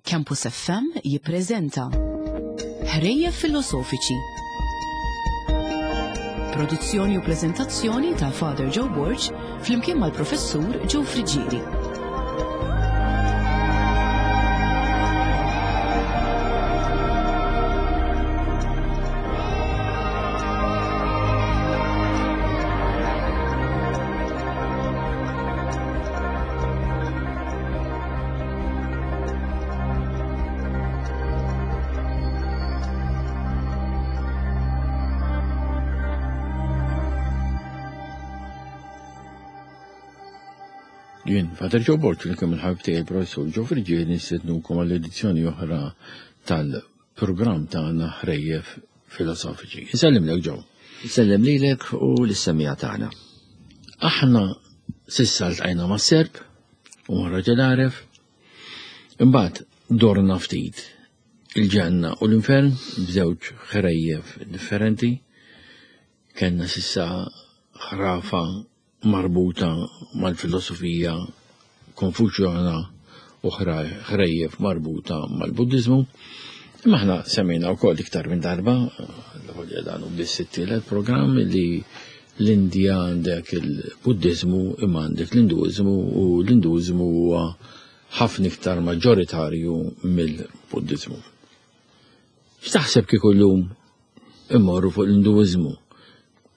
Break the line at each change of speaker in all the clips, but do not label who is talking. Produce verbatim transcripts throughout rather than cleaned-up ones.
Campus F M jippreżenta Ħrejjef Filosofiċi. Produzzjoni u preżentazzjoni ta' Father Joe Borg flimkien mal-Professur Joe Friggieri.
Jien, Father Joe Borg, li kemm il-ħabib tiegħi Professur Joe Friggieri, nistednukom għall-edizzjoni oħra tal-programm tagħna Ħrejjef Filosofiċi. Insellimlek, Joe.
Insellem lilek u lis-semija tagħna.
Aħna s'issa ltqajna ma' Serb u ma' Raġel Għaref, imbagħad dorna ftit il-ġenna u l-infern b'żewġ ħrejjef differenti. Kellna s'issa ħrafa marbuta mal-filosofija konfuċjana u ħrejjef marbuta mal-Buddiżmu. Imma aħna semmejna wkoll iktar minn darba, l-ewwel dan hu biss it-tielet programm li l-Indja għandek il-Buddiżmu imma għandek l-Induiżmu, u l-Induiżmu huwa ħafna iktar maġġoritarju mill-Buddiżmu. X'taħseb kieku llum immorru fuq l-Induiżmu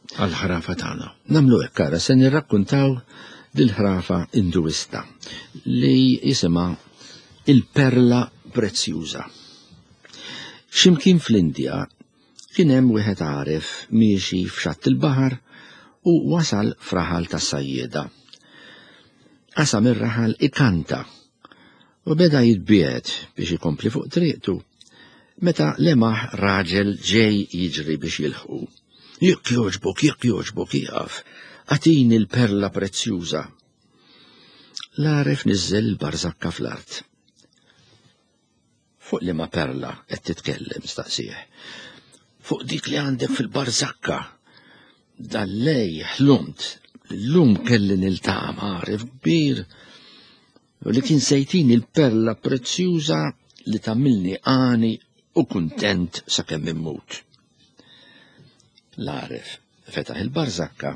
għall-ħrafa tagħna?
Nagħmlu hekk, ara, se nirrakkuntaw dil-ħrafa Induista li jisimha il-Perla Prezzjuża. X'imkien fl-Indja kien hemm wieħed għaref miexi f'xatt il-baħar u wasal f'raħal tas-sajjieda. Qasam ir-raħal ikanta u beda jitbiegħed biex ikompli fuq triqtu meta lemaħ raġel ġej jiġri biex jilħqu. Jekk jogħġbok, jekk jogħġbok, ieqaf, agħtini l-perla prezzjuża. L-għaref niżżel il-barżakka fl-art. Fuq liema perla qed titkellem, staqsih. Fuq dik li għandek fil-barżakka. Dal-lej ħlumt, llum kelli niltaqa' ma' għaref kbir u li kien sejtini l-perla prezzjuża li tagħmilni għani u kuntent sakemm immut. L-għaref fetaħ il-barżakka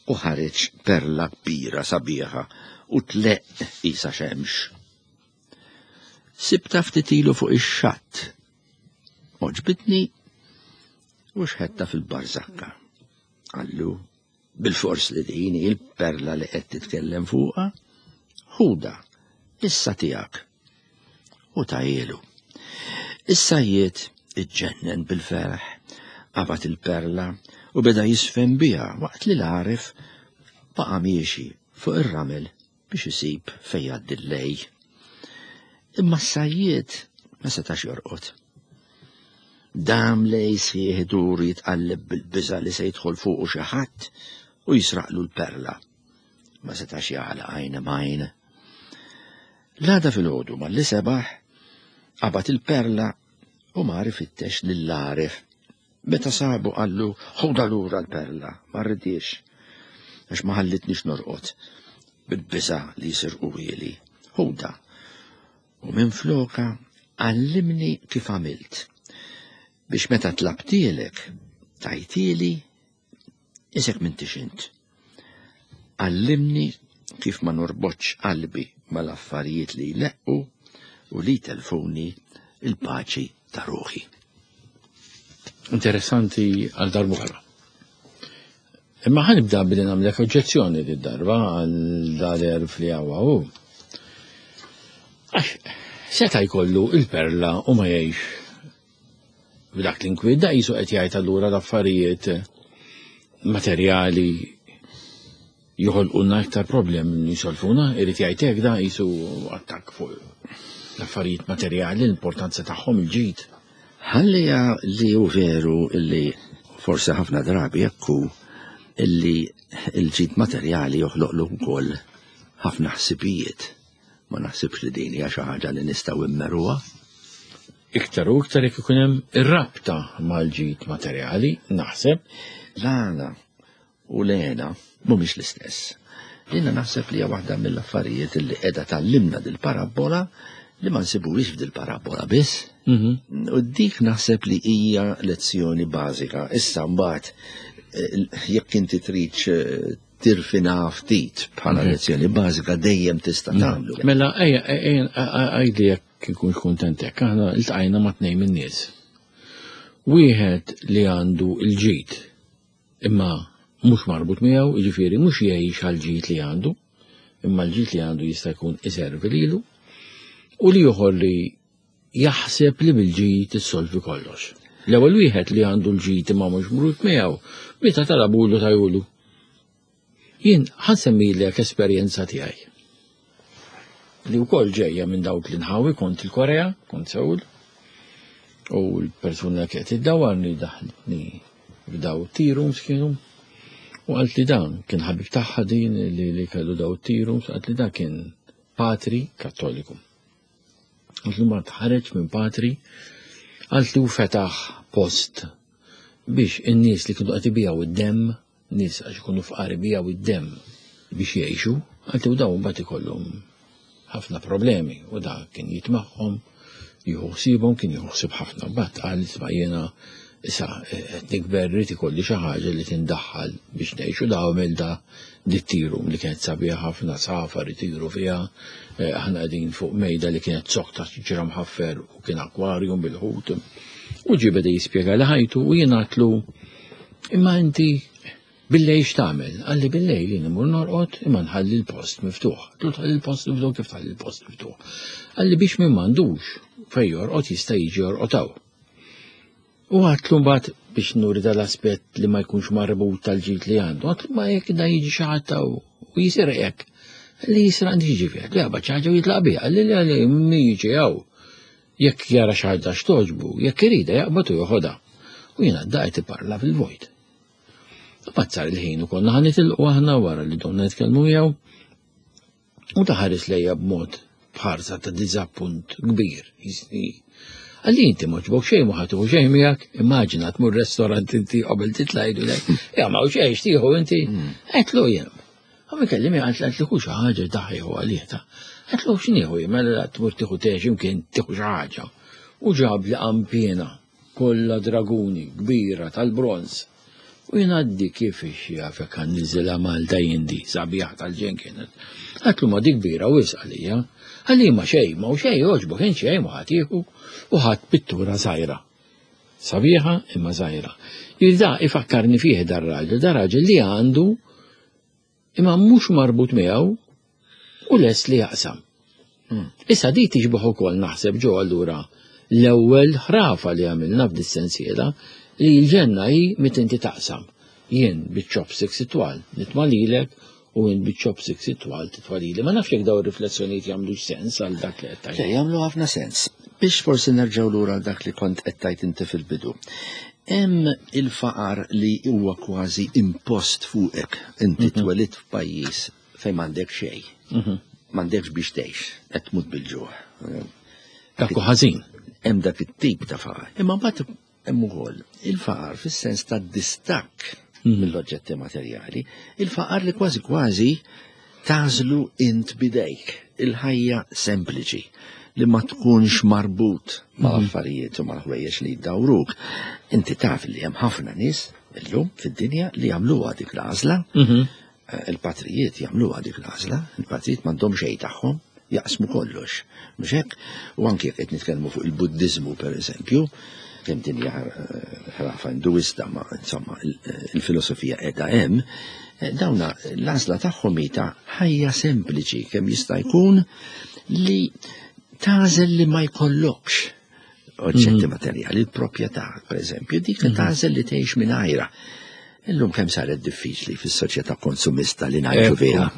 u ħareġ perla kbira sabiħa u tleqq qisha xemx. Sibta ftit ilu fuq ix-xatt. Għoġbitni u xħetta fil-barżakka. Qallu, bil-fors li din hi l-perla li qed titkellem fuqha, ħuda, issa tiegħek. U tajielu. Is-sajjied iġġennen bil-ferħ, qabad il-perla u beda jisfen biha waqt li l-għaref baqa' miexi fuq ir-ramel biex isib fejn jgħaddi l-lej. Imma s-sajjied ma setax jorqod. Dam lej sħiħ idur jitqalleb bil-biża' li se jidħol fuqu xi ħadd u jisraqlu l-perla. Ma setax jagħlaq għajn m'għajn. L-għada filgħodu malli sebaħ, qabad il-perla u mar ifittex lill-għaref. Meta sabu qallu, ħuda lura l-perla, ma rridix, għax ma ħallitnix norqod bil-biża' li jisirquhieli. Ħuda, u minn floka għallimni kif għamilt, biex meta tlabtielek tajtieli isek m'intix int. Għallimni kif ma norbotx qalbi mal-affarijiet li jleqqu u li jtelfuni il-paċi ta' ruħi.
Interessanti għal darb'oħra. Imma ħanibda billi nagħmlek oġġezzjoni lid darba għal dal-erf li hawn hu. Għax seta' jkollu il-perla u ma jgħix b'dak l-inkwiet, da qisu qed jgħid allura l-affarijiet materjali joħolqulna iktar problemi milli jsolfuna, irid jgħid hekk, da qisu attakk fuq l-affarijiet materjali, l-importanza tagħhom, il-ġid.
Ħallija li hu veru li forsi ħafna drabi hekk hu illi l-ġid materjali joħloqlu wkoll ħafna ħsibijiet. Ma naħsibx li din hija xi ħaġa li nistgħu immeruha.
Iktar u iktar jekk ikun hemm ir-rabta mal-ġid materjali, naħseb.
L-għana u l-għena mhumiex l-istess. Jiena naħseb li hija waħda mill-affarijiet li qiegħda tgħallimna dil-parabbola Li ma nsibuhiex f'dil parabola biss.
Mhm.
U dik naħseb li hija lezzjoni bażika. Issa mbagħad eh, jekk inti trid eh, tirfina ftit bħala lezzjoni bażika dejjem tista' tagħmlu.
Mela, ejja, ejja, għidli jekk ikun kuntent hekk, aħna iltqajna ma' tnejn min-nies. Wieħed li għandu l-ġid imma mhux marbut miegħu, jiġifieri mhux jgħix għall-ġid li għandu, imma l-ġid li għandu jista' jkun iservi lilu, u l-ieħor li jaħseb li bil-ġid issolvi kollox. L-ewwel wieħed li għandu l-ġid imma mhux marbut miegħu, meta talabulu tajulu. Jien ħa nsemmilek esperjenza tiegħi. Li wkoll ġejja minn dawk l-inħawi, kont il-Korea, kont Seul, u l-persuna kienet iddawwarni daħlitni f'daw tea rooms kienu, u qalt li dan kien ħabib tagħha din li, li kellu daw tea rooms, qalt li dan kien patri kattoliku. Qalt li ma tħareġ minn patri, qalt li u fetaħ post biex in-nies li kienu qed ibigħu id-demm, nies għax ikunu fqar ibigħu id-demm biex jgħixu, qalt li u dawn mbagħad ikollhom ħafna problemi u da kien jitmagħhom, jieħu ħsiebhom, kien jieħu ħsieb ħafna. Mbagħad qal isma' jiena issa qed nikber rrid ikolli xi ħaġa li tindaħħal biex ngħixu da għamel da dit-tea room li kienet sabiħa ħafna safar itiru fiha, eh, aħna qegħdin fuq mejda li kienet zokk ta' ġra mħaffer u kien akwarjum bil-ħut. U ġie beda jispjega li ħajtu u jien għedtlu imma inti billejl x'tagħmel? Qalli billejl jien imur norqod imma nħalli l-post miftuħ. Għedtlu tħalli l-post miftuħ kif tħalli l-post miftuħ? Qalli biex min m'għandux fejn jorqod jista' jiġi jorqod hawn. U għedtlu mbagħad biex nuri dal-aspett li ma jkunx marbut tal-ġid li għandu, għedtlu ma jekk da jiġi xi ħadd u jisirqek. Li jisraq jiġi fih, li jaqbad xi ħaġa u jitlaq biha, li li li min jiġi hawn. Jekk jara xi ħaġa x'togħġbu, jekk irida jaqbad u joħodha. U jiena daqt iparla fil-vojt. Mbagħad sar il-ħin u konna ħa nitilqu aħna wara li domna nitkellmu miegħu. U ħares lejja b'mod b'ħarsa ta' diżappunt kbir. Qalli inti m'għoġbok xejn ma ħa tieħu xejn miegħek, immaġina tmur restorant inti qabel titla' jgħidu ja ma xejn x'tieħu inti. Għedtlu jien. Għam kellimi għalt li xi ħaġa daħħieħu għalih ta'. Għedtlu x'nieħu jien, mela tmur tieħu te x'imkien tieħu xi ħaġa. U ġab li qanpiena kollha draguni kbira tal-bronz. U jien għaddi kif jafek għan niżilha Malta jindi, sabiħ tal-ġen kienet. Għedtlu ma dik kbira wisq għalija. Qalli ma xejn, ma u xejn jogħġbok, int xejn ma ħa tieħu u ħadt pittura żgħira. Sabiħa imma żgħira. Jirda ifakkarni fih dar-raġel, dar-raġel li għandu imma mhux marbut miegħu u lest li jaqsam. Issa di tixbaħ ukoll naħseb ġo allura l-ewwel ħrafa li għamilna f'dis-sensiela li l-ġenna hi meta inti taqsam. Jien biċ-chopsticks itwal nitma' lilek u jien biċ-chopsticks itwal titfa' lili. Ma nafx jekk dawn ir-riflessjonijiet jagħmlux sens għal dak li qed tgħid.
Le, jagħmlu ħafna sens. Biex forsi nerġgħu lura għal dak li kont qed tgħid inti fil-bidu. Hemm il-faqar li huwa kważi impost fuqek. Inti twelidt f'pajjiż fejn m'għandek xejn. M'għandekx biex tgħix, qed tmut bil-ġuħ.
Dak hu ħażin.
Hemm dak it-tip ta' faqar. Imma mbagħad hemm ukoll il-faqar fis-sens ta' distakk mill-oġġetti materjali, il-faqar li kważi kważi tagħżlu int bidejk, il-ħajja sempliċi li ma tkunx marbut ma' affarijiet u ma' ħwejjeġ li jdawruk. Inti taf li hemm ħafna nies illum fid-dinja li jagħmluha dik l-għażla. Il-patrijiet jagħmluha dik l-għażla, il-patrijiet m'għandhom xejn tagħhom, jaqsmu kollox. Mhux hekk? U anke jekk qed nitkellmu fuq il-Buddiżmu pereżempju, kemm din hija ħrafa induista, ma insomma il-filosofija qiegħda hemm, dawna l-għażla tagħhom hi ta' ħajja sempliċi kemm jista' jkun li tagħżel li ma jkollokx oġġetti materjali, il-proprjetà, pereżempju, dik li tagħżel li tgħix mingħajra. Illum kemm saret diffiċli fis-soċjetà konsumista li ngħixu fiha.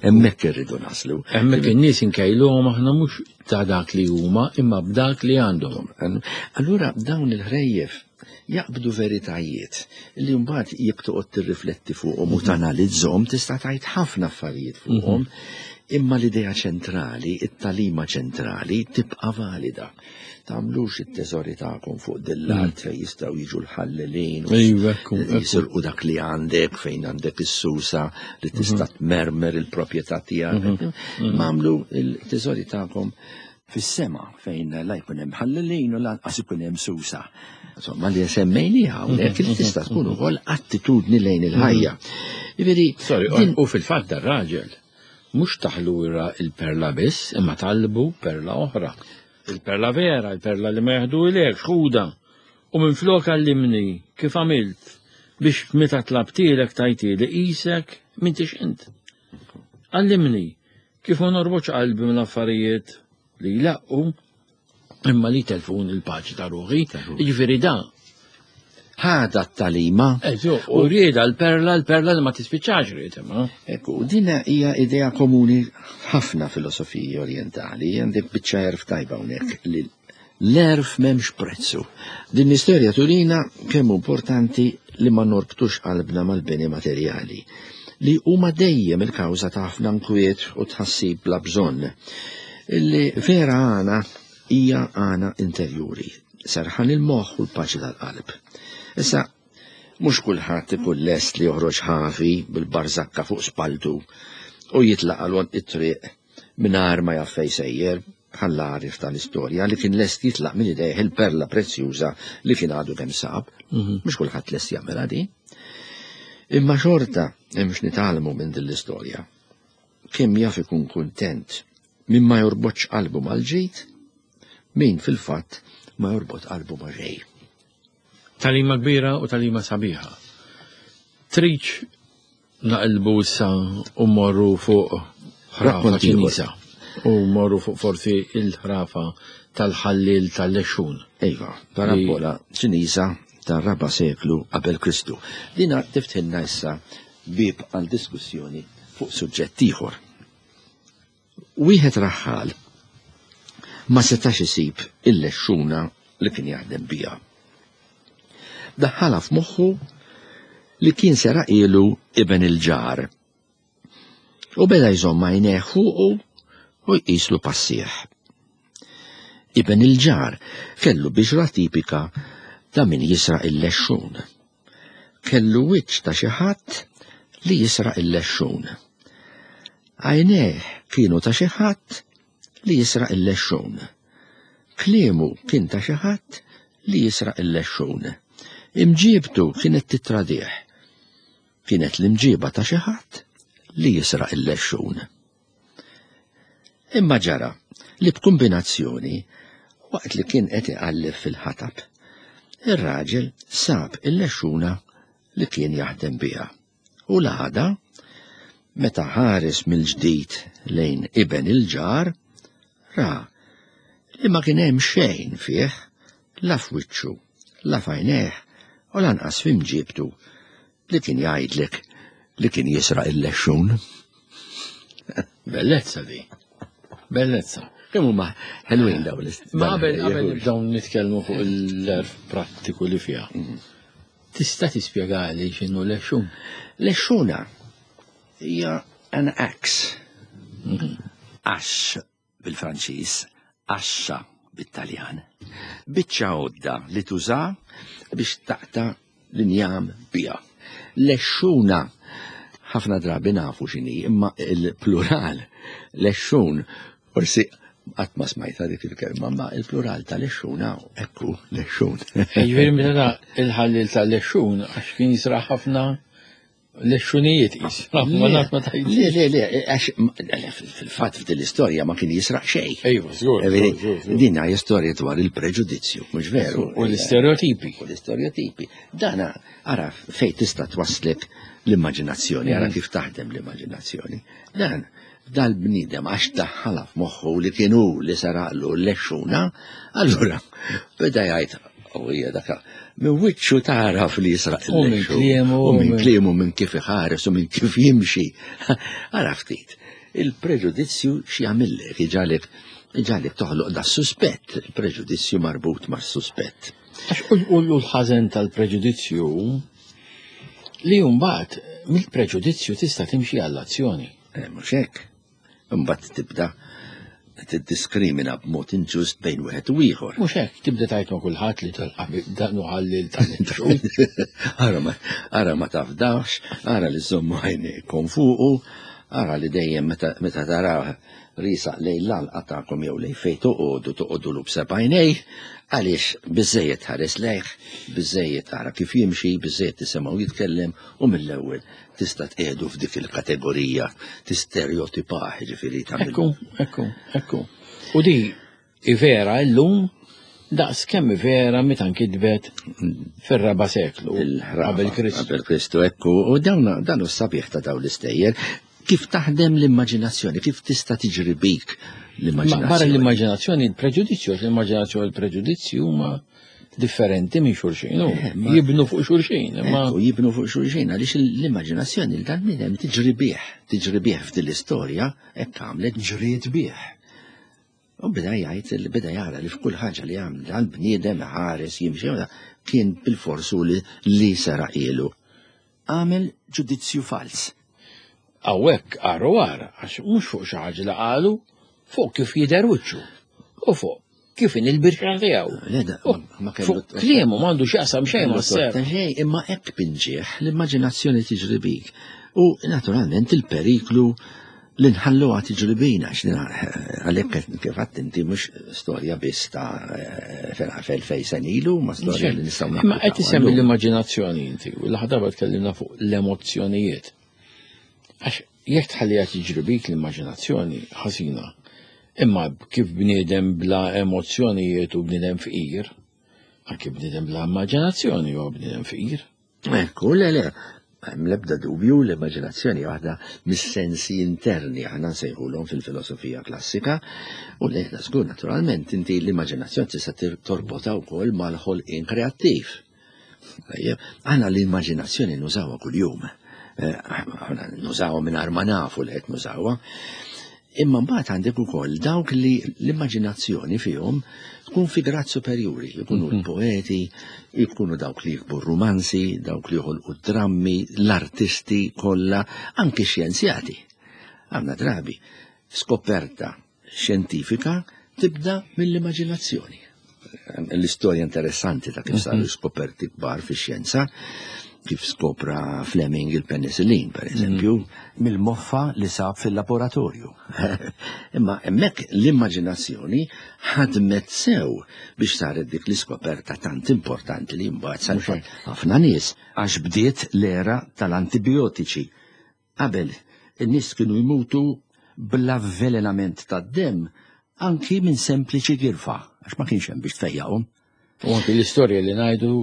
Hemmhekk irridu naslu.
Hemmhekk in-nies inkejluhom aħna mhux ta' dak li huma imma b'dak li għandhom.
Allura dawn il-ħrejjef jaqbdu veritajiet li mbagħad jekk toqgħod tirrifletti fuqhom u tanalizzhom tista' tgħid ħafna affarijiet fuqhom, imma l-idea ċentrali, it-talima ċentrali tibqa' valida. Tagħmlux it-teżori tagħkom fuq dil-art fejn jistgħu jiġu l-ħallelin u
Iva, ekku, ekku.
jisirqu dak li għandek, fejn għandek is-susa li tista' tmermer il-proprjetà tiegħek. Agħmlu il-teżori tagħkom fis-sema fejn la jkun hemm ħallelin u lanqas ikun hemm susa. Insomma, li semmejniha hawnhekk li tista' tkun ukoll attitudni lejn il-ħajja. Jiġifieri,
Sorry, u fil-fatt dar-raġel mhux taħlura il-perla biss, imma talbu perla oħra. Il-perla vera, il-perla li ma jaħdu ilek, xħuda. U minn flok għallimni kif għamilt biex meta tlabtilek tajtili qisek m'intix int. Għallimni kif ma norbotx qalbi minn affarijiet li jlaqqu imma li telfun il-paċi ta' ruħi. Jiġifieri da.
Ħada t-talima.
Eżu, u rieda l-perla, l-perla li ma tispiċċax ried imma.
Ekku, dina hija idea komuni ħafna filosofiji orientali, għandek biċċa għerf tajba hawnhekk li l-għerf m'hemmx prezzu. Din l-istorja turina kemm importanti li ma norbtux qalbna mal-beni materjali, li huma dejjem il-kawża ta' ħafna nkwiet u tħassib bla bżonn. Illi vera għana hija għana interjuri, serħan il-moħħ u l-paċi tal-qalb. Issa, mhux kulħadd ikun lest li joħroġ ħafi bil-barżakka fuq spaltu u jitlaq għal għonq it-triq mingħajr ma jaf fejn sejjer, bħall-għarif tal-istorja li kien lest jitlaq minn idejh il-perla prezzjuża li kien għadu kemm sab. Mhux kulħadd lest jagħmilha din. Imma xorta hemm x'nitgħallmu minn din l-istorja. Kemm jaf ikun kuntent min ma jorbotx qalbu mal-ġid, min fil-fatt ma jorbot qalbu ma' xejn.
Talima kbira u talima sabiħa. Triċ naqilbu issa u morru fuq ħrafa
Rakkonti ieħor.
Ċiniża. U morru fuq forsi il-ħrafa tal-ħallil tal-lexxun.
Iva, parabola Ċiniża tar-raba' seklu qabel Kristu. Dina tiftħilna issa bib għal diskussjoni fuq suġġett ieħor. Wieħed raħħal ma setax isib il-lexxuna li kien jaħdem biha. Daħħalha f'moħħu li kien seraqilu iben il-ġar. U beda jżomm għajnejh fuqu u jqislu passieħ. Iben il-ġar kellu biġra tipika ta' min jisraq il-lexxun. Kellu wiċċ ta' xi ħadd li jisraq il-lexxun. Għajnejh kienu ta' xi ħadd li jisraq il-lexxun. Kliemu kien ta' xi ħadd li jisraq il-lexxun. Imġiebtu kienet titradih. Kienet l-imġieba ta' xi ħadd li jisraq il-lexxun. Imma ġara li b'kombinazzjoni waqt li kien qed iqalleb fil-ħatab, ir-raġel sab il-lexxuna li kien jaħdem biha. U l-għada, meta ħares mill-ġdid lejn iben il-ġar, ra li ma kien hemm xejn fih, la f'wiċċu, la f'għajnejh u lanqas f'imġiebtu li kien jgħidlek li kien jisraq il-lexxun.
Bellezza di. Bellezza.
Kemm huma ħelwin dawn l-ist-
Ma qabel
dawn
qabel
il-
nibdew nitkellmu fuq l-għerf prattiku li fiha. Tista' tispjegali x'inhu lexxun?
Lexxuna hija an axe. Ax bil-Franċiż, axxa bit-Taljan. Biċċa għodda li tuża biex taqta' l-injam biha. Lexxuna ħafna drabi nafu x'inhi, imma il-plural lexxun forsi qatt ma smajta dik il-kelma, ma il-plural ta' lexxuna ekku lexxun.
Jiġifieri meta da il-ħallil tal-lexxun għax kien jisraq ħafna lexxunijiet qis. Ma naf ma tgħidx.
Le, le, le, għax le, fil-fatt f'din l-istorja ma kien jisraq xejn.
Ejwa, żgur,
Vedi,
żgur, żgur.
Din hija istorja dwar il-preġudizzju, mhux veru?
U l-istereotipi.
U l-istereotipi. Dana, ara fejn tista' twaslek l-immaġinazzjoni, ara kif taħdem l-immaġinazzjoni. Dan, dal-bniedem għax daħħalha f'moħħu li kien hu li saraqlu l-lexxuna, allura beda jgħid, u hija daka, minn wiċċu taraf li jisraq
U minn
il-lexxun.
kliemu,
U minn
minn-
kliemu, minn kif iħares u minn kif jimxi. Ara ftit, il-preġudizzju x'jagħmillek, iġalek iġalek toħloq da suspett, il-preġudizzju marbut mas-suspett.
Għax u u l-ħażen tal-preġudizzju li mbagħad mill-preġudizzju tista' timxi għall-azzjoni.
Eh, mhux hekk. Imbagħad tibda tiddiskrimina b'mod inġust bejn wieħed u ieħor.
Mhux hekk tibda tgħid ma' kulħadd li tal-qabel dan hu ħallil tal-lexxun.
Ara ma, ara ma tafdax, ara li żommu għajnejkom fuqu, Ara li dejjem meta tara risaq lejn l-għalqa tagħkom jew lejn fejn toqogħdu toqogħdu b'seba' għajnejh, għaliex biżejjed ħares lejh, biżejjed tara kif jimxi, biżejjed tisimgħu jitkellem u mill-ewwel tista' tqiegħdu f'dik il-kategorija tistereotipah, ġifieri
tagħmel. Ekku, ekku, ekku. U di vera llum daqs kemm vera meta nkitbet fir-raba' seklu qabel Kristu.
Qabel Kristu, ekku, u dawn dan hu s-sabiħ ta' dawn l-istejjer. Kif taħdem l-immaġinazzjoni, kif tista' tiġri bik l-immaġinazzjoni.
Barra l-immaġinazzjoni, il-preġudizzju, l-immaġinazzjoni u l-preġudizzju huma differenti minn xulxin, jibnu fuq xulxin.
Ekku, jibnu fuq xulxin, għaliex l-immaġinazzjoni l-dan tiġri bih, tiġri bih f'din l-istorja, hekk għamlet ġriet bih. U beda jgħid, beda jara li f'kull ħaġa li għamel għal-bniedem ħares jimxi, kien bil-forsu li seraqilu. Għamel ġudizzju fals.
Hawnhekk għarru għar, għax mhux fuq xi ħaġa li qalu, fuq kif jidher wiċċu u fuq kif in il-birra tiegħu. Fuq kliemu m'għandu x'jaqsam xejn ma'
ser. Imma hekk pinġieħ l-immaġinazzjoni tiġri bik. U naturalment il-periklu li nħalluha tiġri bina, għalhekk kif għedt inti mhux storja biss ta' felfej senilu, ma storja li nistgħu.
Imma qed isemmi l-immaġinazzjoni inti, u l-ħadarba tkellimna fuq l-emozzjonijiet. Għax jekk tħalliha tiġri bik l-immaġinazzjoni ħażina, imma kif bniedem bla emozzjonijiet u bniedem fqir, anke bniedem bla immaġinazzjoni huwa bniedem fqir.
Ekku, le le, hemm l-ebda dubju l-immaġinazzjoni waħda mis-sensi interni aħna nsejħulhom fil-filosofija klassika, u le żgur naturalment inti l-immaġinazzjoni tista' torbotha wkoll mal-ħolqien kreattiv. Aħna l-immaġinazzjoni nużawha kuljum. Aħna nużawha mingħajr ma nafu li qed nużawha. Imma mbagħad għandek ukoll dawk li l-immaġinazzjoni fihom tkun fi grad superjuri, ikunu l-poeti, ikunu dawk li jikbu romanzi, dawk li joħolqu drammi, l-artisti kollha, anki xjenzjati. Għandna drabi skoperta xjentifika tibda mill-immaġinazzjoni. L-istorja interessanti ta' kif saru skoperti kbar fix-xjenza, kif skopra Fleming il-penicillin, per eżempju, mill-moffa li sab fil-laboratorju. Imma hemmhekk l-immaġinazzjoni ħadmet sew biex saret dik l-iskoperta tant importanti li mbagħad salvat ħafna nies, għax bdiet l-era tal-antibiotiċi. Qabel, in-nies kienu jmutu bl-avvelenament tad-demm anki minn sempliċi girfa, għax ma kienx hemm biex tfejjaqhom.
U anki l-istorja li ngħidu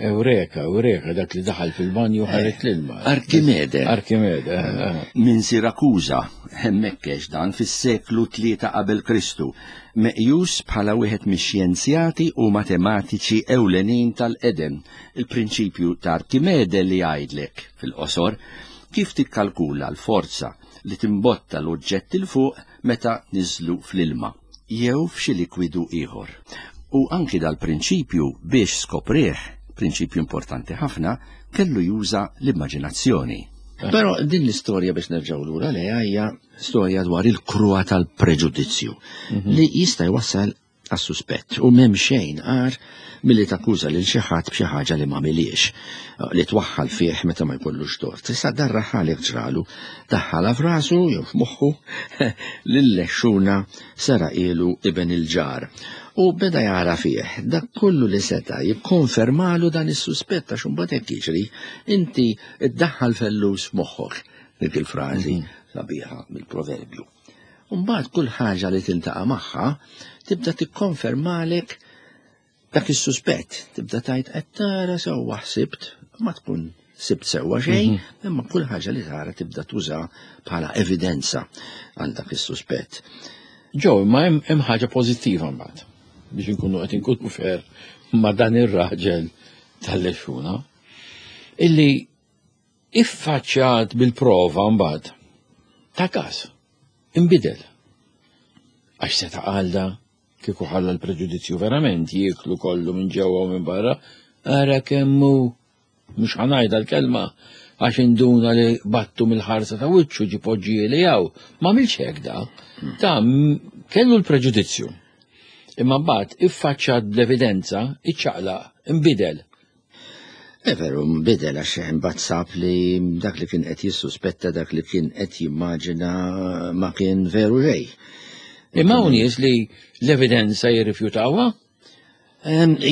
Eureka, Eureka, dak li daħal fil-banju ħaret l-ilma.
Arkimede.
Arkimede.
Minn Sirakuża, hemmhekk dan fis-seklu tlieta qabel Kristu, meqjus bħala wieħed mix-xjenzjati u matematiċi ewlenin tal-qedem. Il-prinċipju ta' Arkimede li jgħidlek fil-qosor kif tikkalkula l-forza li timbotta l-oġġett il fuq meta niżlu fl-ilma jew f'xi likwidu ieħor. U anki dal-prinċipju biex skoprih, prinċipju importanti ħafna, kellu juża l-immaġinazzjoni. Però din l-istorja biex nerġgħu lura lejha hija storja dwar il-kruha tal-preġudizzju li jista' jwassal għas-suspett u m'hemm xejn għar milli takkuża lil xi ħadd b'xi ħaġa li ma miliex, li twaħħal fih meta ma jkollux tort. Issa darra ħalek ġralu, daħħalha f'rasu jew f'moħħu lil-lexxuna seraqilu iben il-ġar. U beda jara fih dak kollu li seta' jikkonfermalu dan is-suspett, għax imbagħad hekk jiġri, inti iddaħħal fellus f'moħħok, dik il-frażi sabiħa mill-proverbju. Mbagħad kull ħaġa li tiltaqa' magħha tibda tikkonfermalek dak is-suspett, tibda tgħid qed tara sewwa ħsibt, ma tkun sibt sewwa xejn, imma kull ħaġa li tara tibda tuża bħala evidenza għal dak is-suspett.
Ġew, ma hemm ħaġa pożittiva mbagħad biex inkunu qed inkunu fer ma' dan ir-raġel tal-lexxuna illi iffaċċjat bil-prova mbagħad ta' każ inbidel. Għax seta' qalda kieku ħalla l-preġudizzju verament jieklu kollu minn ġewwa u minn barra, ara kemm hu, mhux ħanajda l-kelma, għax induna li battu mill-ħarsa ta' wiċċu ġi poġġieli hawn. Ma għamilx hekk da. Ta' kellu l-preġudizzju. Imma mbagħad iffaċċjat bl-evidenza, iċċaqlaq, inbidel.
E veru, nbidel għax imbagħad sab li dak li kien qed jissuspetta, dak li kien qed jimmaġina ma kien veru xejn.
Imma hawn nies li l-evidenza jirrifjutawha?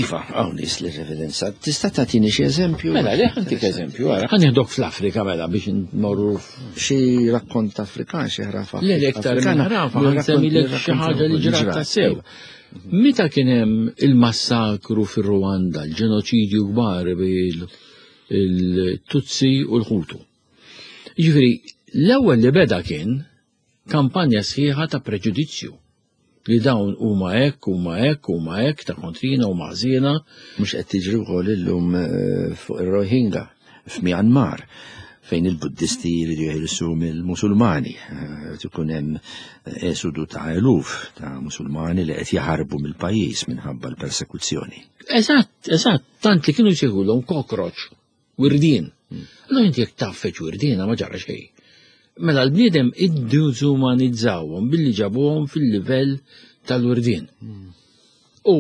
Iva, hawn nies li l-evidenza. Tista' tagħtini xi eżempju?
Mela, le ħa ntik eżempju, ara. Ħa nieħdok fl-Afrika mela biex nmorru
xi rakkont Afrikan, xi ħrafa.
Le, le, iktar minn ħrafa, ħa nsemmilek xi ħaġa li ġrat tassew. Meta kien hemm il-massakru fir-Rwanda, l-ġenoċidju kbar bil-Tutsi u l-Hutu. Jiġifieri, l-ewwel li beda kien kampanja sħiħa ta' preġudizzju li dawn huma hekk, huma hekk, huma hekk, ta' kontrina u maħżiena.
Mhux qed tiġri wkoll illum eh, fuq ir-Rohingya f'Myanmar, fejn il-Buddisti jridu jeħilsu mill-Musulmani. Eh, Ikun hemm esodu ta' eluf ta' Musulmani li qed jaħarbu mill-pajjiż minħabba l-persekuzzjoni.
Eżatt, eżatt, tant li kienu jsejħulhom cockroach, wirdien. Allora inti jekk tgħaffeġ wirdiena ma ġara xejn. Mela l-bniedem iddiżumanizzawhom billi ġabuhom fil-livell tal-wirdien. U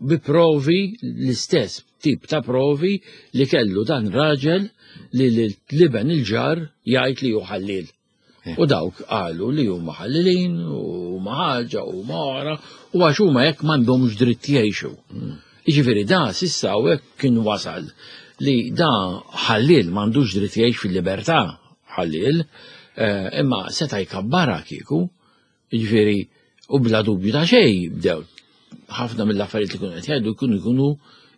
bi provi, l-istess tip ta' provi li kellu dan raġel li l-liben il-ġar jgħid li hu ħallil. U dawk qalu li huma ħallilin u huma ħaġa u huma oħra u għax huma hekk m'għandhomx dritt jgħixu. Jiġifieri da s'issa hawnhekk kien wasal li da ħallil m'għandux dritt jgħix fil-libertà ħallil, eh, imma seta' jkabbara kieku, jiġifieri u bla dubju ta' xejn bdew ħafna mill-affarijiet li kienu qed jgħidu jkunu jkunu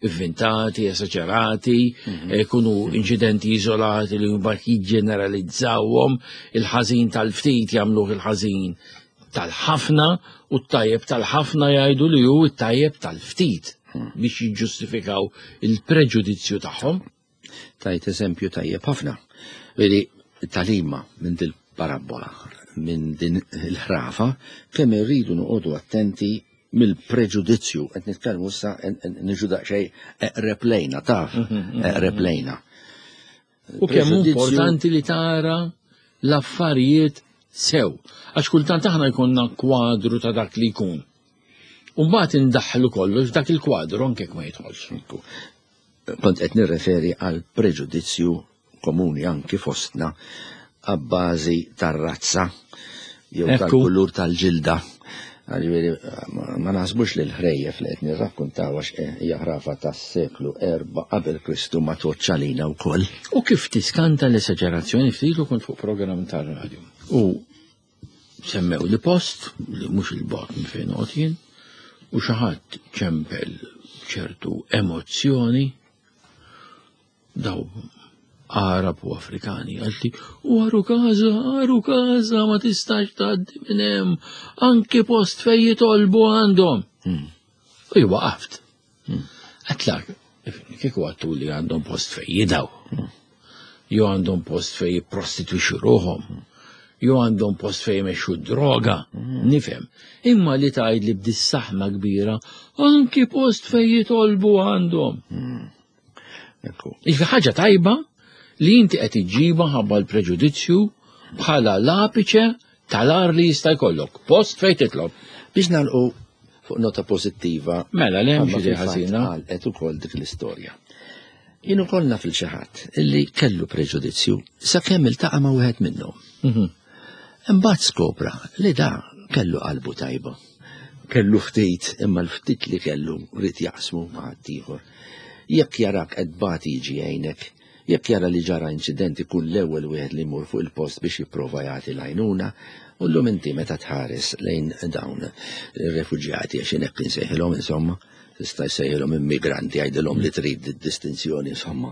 inventati, esaġerati, jkunu inċidenti iżolati li mbagħad jiġġeneralizzawhom, il-ħażin tal-ftit jagħmluh il-ħażin tal-ħafna u t-tajjeb tal-ħafna jgħidu li hu t-tajjeb tal-ftit biex jiġġustifikaw il-preġudizzju tagħhom.
Tajt eżempju tajjeb ħafna. Vedi, talima minn dil parabola, minn din il-ħrafa, kemm irridu noqogħdu attenti mill-preġudizzju, qed nitkellmu issa niġu daqsxejn eqreb lejna, taf, eqreb lejna.
U kemm importanti li tara l-affarijiet sew. Għax kultant aħna jkollna kwadru ta' dak li jkun. U mbagħad indaħħlu kollox f'dak il-kwadru anke jekk ma jidħolx.
Kont qed nirreferi għal preġudizzju komuni anki fostna għabbażi tar-razza jew
Ekku.
tal-kulur tal-ġilda. Ġifieri, ma- ma naħsbux li l-ħrejjef li qed nirrakkontaw għax hija ħrafa tas-seklu erba' qabel Kristu ma tgħoddx għalina wkoll.
U kif tiskanta l-esaġerazzjoni, ftit ilu kont fuq programm tar-radio. U semmew li post, li mhux il-bogħod minn fejn noqgħod jien, u xi ħadd ċempel ċertu emozzjoni daw Arab u Afrikani, għalti, u għaru kaza, għaru kaza, ma tistax tgħaddi minn hemm, anki post fej jitolbu għandhom. U jien waqaft. Għedtlek, kieku għattu li għandhom post fej jidaw. Jew għandhom post fej jipprostitwixxu ruħhom. Jew għandhom post fej jmexxu droga, nifhem. Imma li tgħid li b'dis-saħna kbira, anki post fej jitolbu għandhom.
Ekku.
Iġifieri ħaġa tajba li inti qed iġġibha ħabba l-preġudizzju bħala l-apiċe tal-ar li jista' jkollok. Post fejn titlob.
Biex nagħlqu fuq nota pożittiva.
Mela, le hemm
Għamma
xi
fil-fatt
ħażina.
Għalqet ukoll dik l-istorja. Jien ukoll naf lil xi ħadd illi kellu preġudizzju sakemm iltaqa' ma' wieħed minnhom.
Mhm.
Imbagħad skopra li da kellu qalbu tajba. Kellu ftit, imma l-ftit li kellu ried jaqsmu ma' ħaddieħor. Jekk jarak qed bati jiġi jgħinek, jekk jara li ġara inċident ikun l-ewwel wieħed li jmur fuq il-post biex jipprova jagħti l-għajnuna, u llum inti meta tħares lejn dawn ir-refuġjati għax hekk insejħilhom insomma, tista' jsejħilhom immigranti, għajdilhom li trid distinzjoni insomma,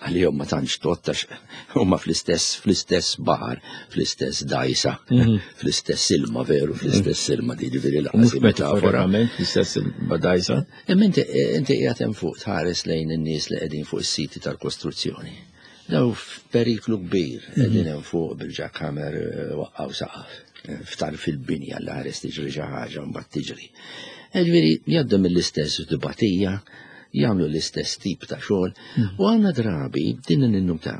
għalihom ma tantx tgħodd għax huma fl-istess fl-istess baħar, fl-istess dajsa, fl-istess ilma veru, fl-istess ilma jiġifieri
U mhux
lanqas metafora.
metaforament l-istess badajsa.
Imma inti inti qiegħed hemm fuq tħares lejn in-nies li qegħdin fuq is-siti tal-kostruzzjoni. Daw f'periklu kbir, qegħdin hemm fuq bil-jackhammer eh, waqqgħu saqaf, eh, ftar fil-binja l ħares tiġri xi ħaġa u mbagħad tiġri. Ġifieri jgħaddu mill-istess dibatija, jagħmlu l-istess tip ta' xogħol, u għandna drabi din in-nuta.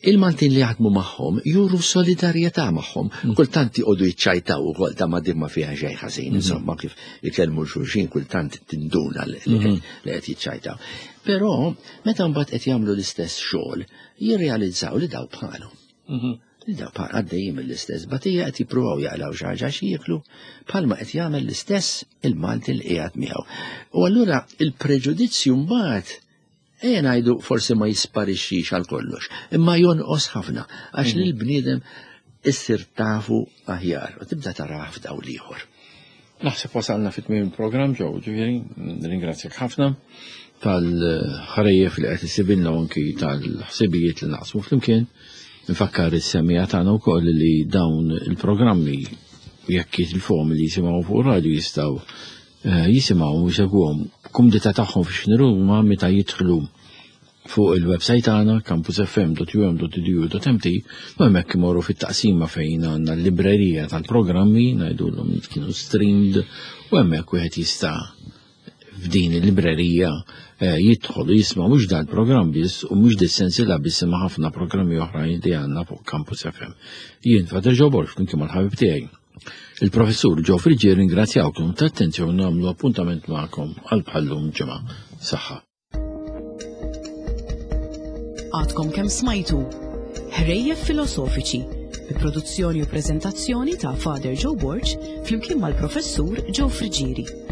Il-Maltin li jaħdmu magħhom juru solidarjetà magħhom. Mm. Kultant jqogħdu jiċċajtaw ukoll ta' ma din ma fiha xejn ħażin, mm. insomma kif ikellmu xulxin kultant tinduna li mm-hmm. qed jiċċajtaw. Però meta mbagħad qed jagħmlu l-istess xogħol, jirrealizzaw li daw bħalu. Mm-hmm. Li daw bħal għaddejjin mill-istess batija qed jippruvaw jaqlaw xi ħaġa xi jieklu bħalma qed jagħmel l-istess il-Malti li qiegħed miegħu. U allura il-preġudizzju mbagħad ejja ngħidu forsi ma jisparixxix għal kollox, imma jonqos ħafna għax mm. lill-bniedem issir tafu aħjar u tibda tarah f'dawl ieħor.
Naħseb wasalna fit-tmiem il-programm ġew, ġifieri, ringrazzjak ħafna tal-ħrejjef li qed isibilna anki tal-ħsibijiet li naqsmu flimkien. Nfakkar is-semmiegħa tagħna wkoll li dawn il-programmi jekk jitilfuhom li jisimgħu fuq radio jistgħu eh, jisimgħu u jsegwuhom kumdità tagħhom fix huma meta jidħlu fuq il-website tagħna campusfm.um.edu.mt u hemmhekk imorru fit-taqsima fejn għandna l-librerija tal-programmi ngħidulhom li kienu streamed u hemmhekk wieħed jista' f'din il-librerija eh, jidħol u jisma' mhux dan programm biss u mhux dis-sensiela biss imma ħafna programmi oħrajn li għandna fuq Campus FM. Jien Father Joe Borg flimkien mal-ħabib tiegħi. Il-professur Joe Friggieri ringrazzjawkom ta' attenzjoni nagħmlu appuntament magħkom għal bħallum ġimgħa. Saħħa.
Għadkom kemm smajtu Ħrejjef Filosofiċi bi produzzjoni u prezentazzjoni ta' Father Joe Borg flimkien mal-professur Joe Friggieri.